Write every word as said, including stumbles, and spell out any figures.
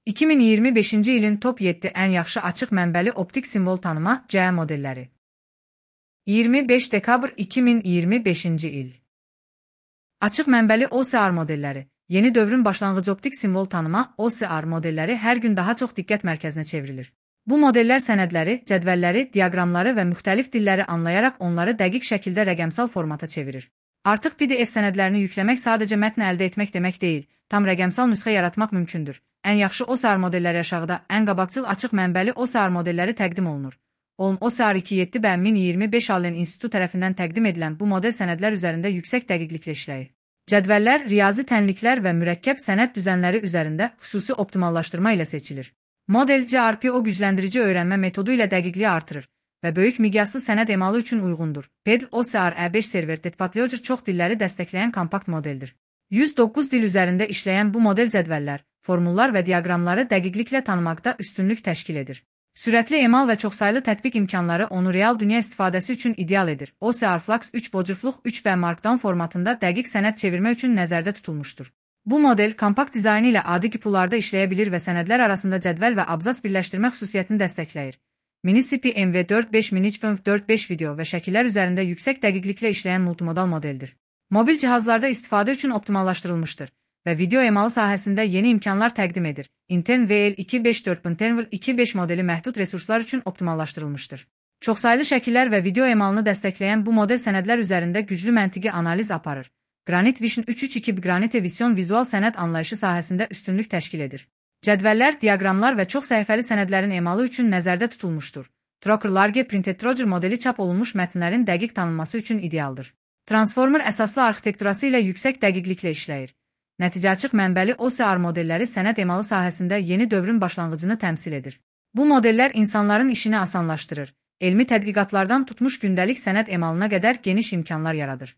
iki min iyirmi beşinci ilin top yeddi ən yaxşı açıq mənbəli optik simvol tanıma C E modelləri. iyirmi beş dekabr iki min iyirmi beşinci il. Açıq mənbəli O S R modelləri. Yeni dövrün başlanğıcı optik simvol tanıma O S R modelləri hər gün daha çox diqqət mərkəzinə çevrilir. Bu modellər sənədləri, cədvəlləri, diaqramları və müxtəlif dilləri anlayaraq onları dəqiq şəkildə rəqəmsal formata çevirir. Artıq P D F sənədlərini yükləmək sadəcə mətn əldə etmək demək deyil, tam rəqəmsal nüsxə yaratmaq mümkündür. Ən yaxşı O S R modelləri aşağıda, ən qabaqcıl açıq mənbəli O S R modelləri təqdim olunur. O M O S R iki yeddi B min iyirmi beş Allen İnstitutu tərəfindən təqdim edilən bu model sənədlər üzərində yüksək dəqiqliklə işləyir. Cədvəllər, riyazi tənliklər və mürəkkəb sənəd düzənləri üzərində xüsusi optimallaşdırma ilə seçilir. Model C R P O gücləndirici öyrənmə metodu ilə dəqiqliyi artırır və böyük miqyaslı sənəd emalı üçün uyğundur. P E D L O S R E beş server Detpatloger çox dilləri dəstəkləyən kompakt modeldir. yüz doqquz dil üzərində işləyən bu model cədvəllər, formullar və diaqramları dəqiqliklə tanımaqda üstünlük təşkil edir. Sürətli emal və çoxsaylı tətbiq imkanları onu real dünya istifadəsi üçün ideal edir. O S R Flux üç bocurfluq üç B Markdown formatında dəqiq sənəd çevirmə üçün nəzərdə tutulmuşdur. Bu model kompakt dizaynı ilə adi kipularda işləyə bilir və sənədlər arasında cədvəl və abzas birləşdirmə xüsusiyyətini dəstəkləyir. Mini C P M V dörd beş Mini C P M V dörd beş video və şəkillər üzərində yüksək dəqiqliklə işləyən multimodal modeldir. Mobil cihazlarda istifadə üçün optimallaşdırılmışdır və video emalı sahəsində yeni imkanlar təqdim edir. Intern V L iki beş dörd Intern iki beş modeli məhdud resurslar üçün optimallaşdırılmışdır. Çoxsaylı şəkillər və video emalını dəstəkləyən bu model sənədlər üzərində güclü məntiqi analiz aparır. Granite Vision üç üç iki Granite Vision vizual sənəd anlayışı sahəsində üstünlük təşkil edir. Cədvəllər, diaqramlar və çox səhifəli sənədlərin emalı üçün nəzərdə tutulmuşdur. Trocker Large Printed Roger modeli çap olunmuş mətnlərin dəqiq tanınması üçün idealdır. Transformer əsaslı arxitekturası ilə yüksək dəqiqliklə işləyir. Nəticə açıq mənbəli O S R modelləri sənəd emalı sahəsində yeni dövrün başlanğıcını təmsil edir. Bu modellər insanların işini asanlaşdırır, elmi tədqiqatlardan tutmuş gündəlik sənəd emalına qədər geniş imkanlar yaradır.